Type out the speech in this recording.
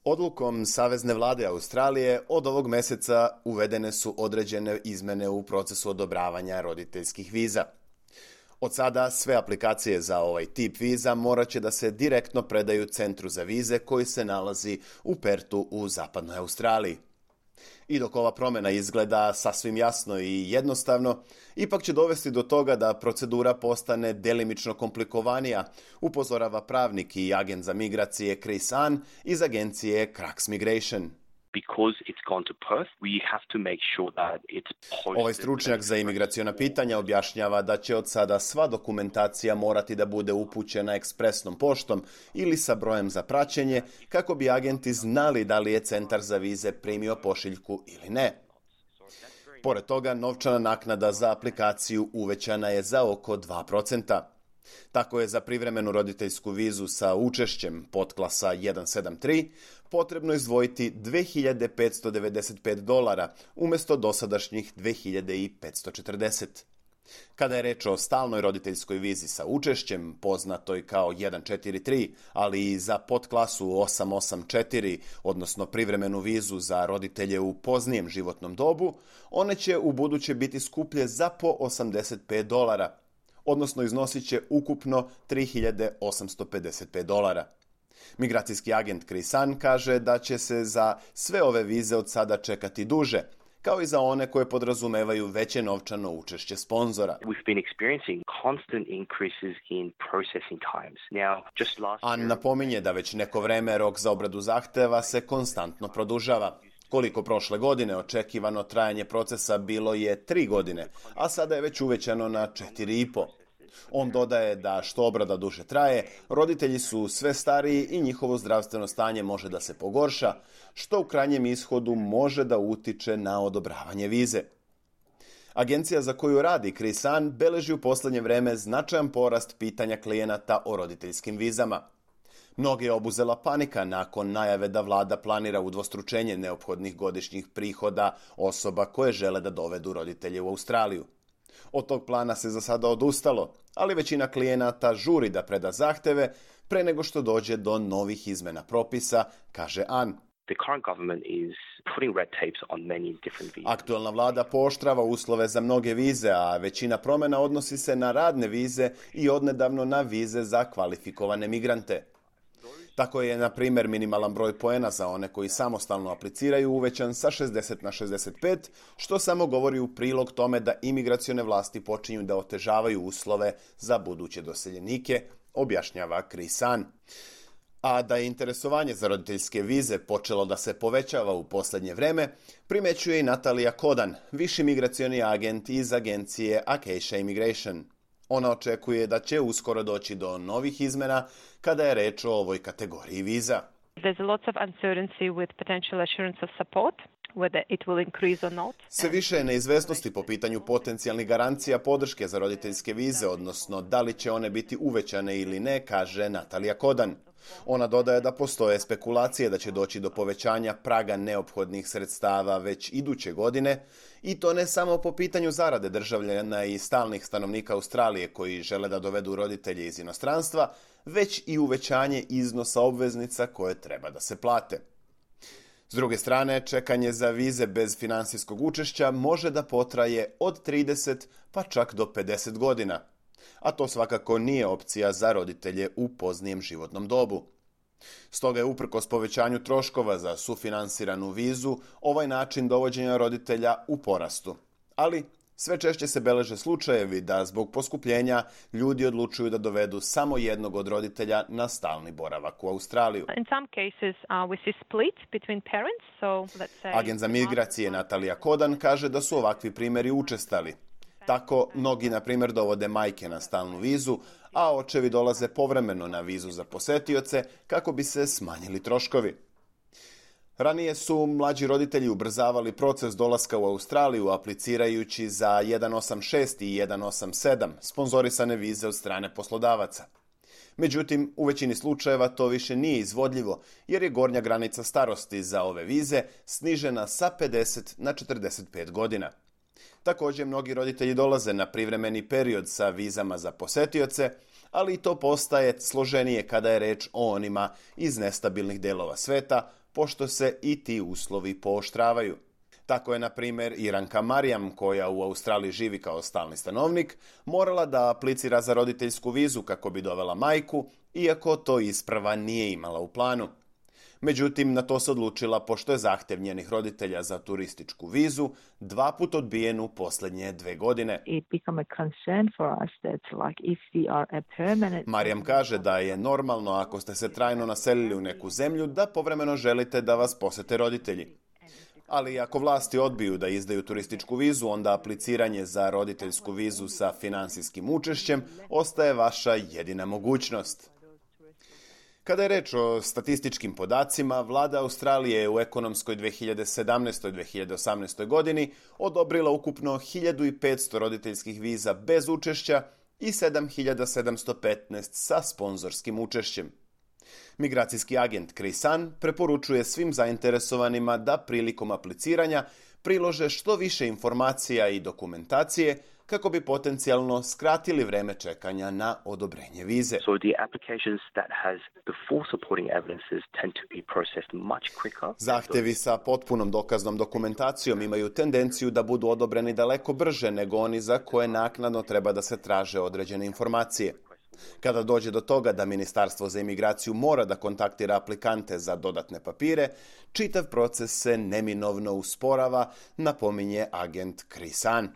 Odlukom Savezne vlade Australije od ovog mjeseca uvedene su određene izmjene u procesu odobravanja roditeljskih viza. Od sada sve aplikacije za ovaj tip viza morat će da se direktno predaju centru za vize koji se nalazi u Perthu u zapadnoj Australiji. I dok ova promjena izgleda sasvim jasno i jednostavno, ipak će dovesti do toga da procedura postane delimično komplikovanija, upozorava pravnik i agent za migracije Chris Ann iz agencije Crux Migration. Ovaj stručnjak za imigraciona pitanja objašnjava da će od sada sva dokumentacija morati da bude upućena ekspresnom poštom ili sa brojem za praćenje kako bi agenti znali da li je centar za vize primio pošiljku ili ne. Pored toga, novčana naknada za aplikaciju uvećana je za oko 2%. Tako je za privremenu roditeljsku vizu sa učešćem podklasa 173 potrebno izdvojiti $2.595 umjesto dosadašnjih $2.540. Kada je reč o stalnoj roditeljskoj vizi sa učešćem, poznatoj kao 143, ali i za podklasu 884, odnosno privremenu vizu za roditelje u poznijem životnom dobu, one će u buduće biti skuplje za po $85, odnosno iznosit će ukupno $3.855. Migracijski agent Chris Ann kaže da će se za sve ove vize od sada čekati duže, kao i za one koje podrazumevaju veće novčano učešće sponzora. Ann napominje da već neko vreme rok za obradu zahteva se konstantno produžava. Koliko prošle godine očekivano trajanje procesa bilo je 3 godine, a sada je već uvećano na 4,5. On dodaje da što obrada duže traje, roditelji su sve stariji i njihovo zdravstveno stanje može da se pogorša, što u krajnjem ishodu može da utiče na odobravanje vize. Agencija za koju radi Chris Ann beleži u posljednje vreme značajan porast pitanja klijenata o roditeljskim vizama. Mnoge je obuzela panika nakon najave da vlada planira udvostručenje neophodnih godišnjih prihoda osoba koje žele da dovedu roditelje u Australiju. Od tog plana se za sada odustalo, ali većina klijenata žuri da preda zahteve pre nego što dođe do novih izmjena propisa, kaže Ann. Aktualna vlada pooštrava uslove za mnoge vize, a većina promjena odnosi se na radne vize i odnedavno na vize za kvalifikovane migrante. Tako je, na primjer, minimalan broj poena za one koji samostalno apliciraju uvećan sa 60 na 65, što samo govori u prilog tome da imigracione vlasti počinju da otežavaju uslove za buduće doseljenike, objašnjava Chris Ann. A da je interesovanje za roditeljske vize počelo da se povećava u posljednje vreme, primećuje i Natalija Kodan, viši migracioni agent iz agencije Acacia Immigration. Ona očekuje da će uskoro doći do novih izmjena kada je reč o ovoj kategoriji viza. Sve više je neizvesnosti po pitanju potencijalnih garancija podrške za roditeljske vize, odnosno da li će one biti uvećane ili ne, kaže Natalija Kodan. Ona dodaje da postoje spekulacije da će doći do povećanja praga neophodnih sredstava već iduće godine, i to ne samo po pitanju zarade državljana i stalnih stanovnika Australije koji žele da dovedu roditelje iz inostranstva, već i uvećanje iznosa obveznica koje treba da se plate. S druge strane, čekanje za vize bez finansijskog učešća može da potraje od 30 pa čak do 50 godina. A to svakako nije opcija za roditelje u poznijem životnom dobu. Stoga je uprkos povećanju troškova za sufinansiranu vizu ovaj način dovođenja roditelja u porastu. Ali sve češće se beleže slučajevi da zbog poskupljenja ljudi odlučuju da dovedu samo jednog od roditelja na stalni boravak u Australiju. Agent za migracije Natalija Kodan kaže da su ovakvi primjeri učestali. Tako, mnogi, na primjer, dovode majke na stalnu vizu, a očevi dolaze povremeno na vizu za posetioce kako bi se smanjili troškovi. Ranije su mlađi roditelji ubrzavali proces dolaska u Australiju aplicirajući za 186 i 187 sponzorisane vize od strane poslodavaca. Međutim, u većini slučajeva to više nije izvodljivo jer je gornja granica starosti za ove vize snižena sa 50 na 45 godina. Također, mnogi roditelji dolaze na privremeni period sa vizama za posetioce, ali i to postaje složenije kada je reč o onima iz nestabilnih delova sveta, pošto se i ti uslovi pooštravaju. Tako je, na primjer, Iranka Marijam, koja u Australiji živi kao stalni stanovnik, morala da aplicira za roditeljsku vizu kako bi dovela majku, iako to isprava nije imala u planu. Međutim, na to se odlučila pošto je zahtjev njenih roditelja za turističku vizu 2 put odbijen u posljednje 2 godine. Marijam kaže da je normalno ako ste se trajno naselili u neku zemlju da povremeno želite da vas posete roditelji. Ali ako vlasti odbiju da izdaju turističku vizu, onda apliciranje za roditeljsku vizu sa financijskim učešćem ostaje vaša jedina mogućnost. Kada je reč o statističkim podacima, vlada Australije je u ekonomskoj 2017-2018 godini odobrila ukupno 1500 roditeljskih viza bez učešća i 7715 sa sponzorskim učešćem. Migracijski agent Krisan preporučuje svim zainteresovanima da prilikom apliciranja prilože što više informacija i dokumentacije kako bi potencijalno skratili vreme čekanja na odobrenje vize. Zahtjevi sa potpunom dokaznom dokumentacijom imaju tendenciju da budu odobreni daleko brže nego oni za koje naknadno treba da se traže određene informacije. Kada dođe do toga da Ministarstvo za imigraciju mora da kontaktira aplikante za dodatne papire, čitav proces se neminovno usporava, napominje agent Krisan.